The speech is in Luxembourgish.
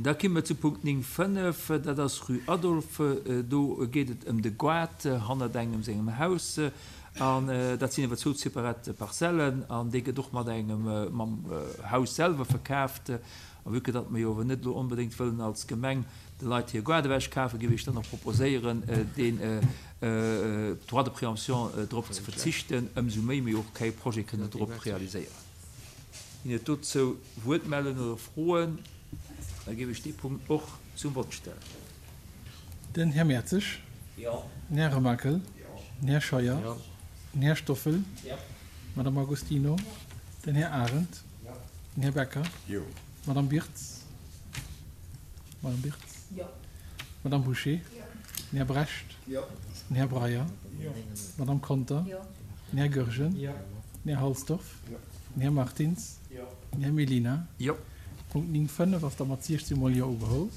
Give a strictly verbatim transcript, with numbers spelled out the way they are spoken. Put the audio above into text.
Da komme mer zu Punkt néng fënnef, dat ass Rue Adolphe. Do geet et ëm de Goart hannert engem sengem Haus. An dat sinn awer zwou separat Parzellen an dee gëtt och mat engem, mam Haus selwer verkaaft. A vue que datt mer jo awer net elo onbedéngt wëllen als Gemeng de Leit hir Goart ewechkafen, géif ech dann och proposéieren, deen Droit de préemption drop ze verzichten, ëmsou méi mer jo och kee Projet kënnen drop realiséieren. Ginn et dozou Wuertmellungen oder Froen? Da géif ech dee Punkt och zum Vott stellen. Den Här Mertzig. Jo. Den Här Remakel. Jo. Den Här Scheuer. Jo. Den Här Stoffel. Jo. D'Madame Agostino. Den Här Arendt. Jo. Den Här Becker. Jo. D'Madame Birtz. Madame Birtz. Jo. D'Madame Bouché. Jo. Den Här Brecht. Jo. Den Här Breyer. Jo. D'Madame Conter. Jo. Den Här Goergen. Jo. Den Här Halsdorf. Jo. Den Här Martins. Jo. Den Här Mellina. Jo. Punkt néng fënnef ass da mat siechzehn mol Jo ugeholl.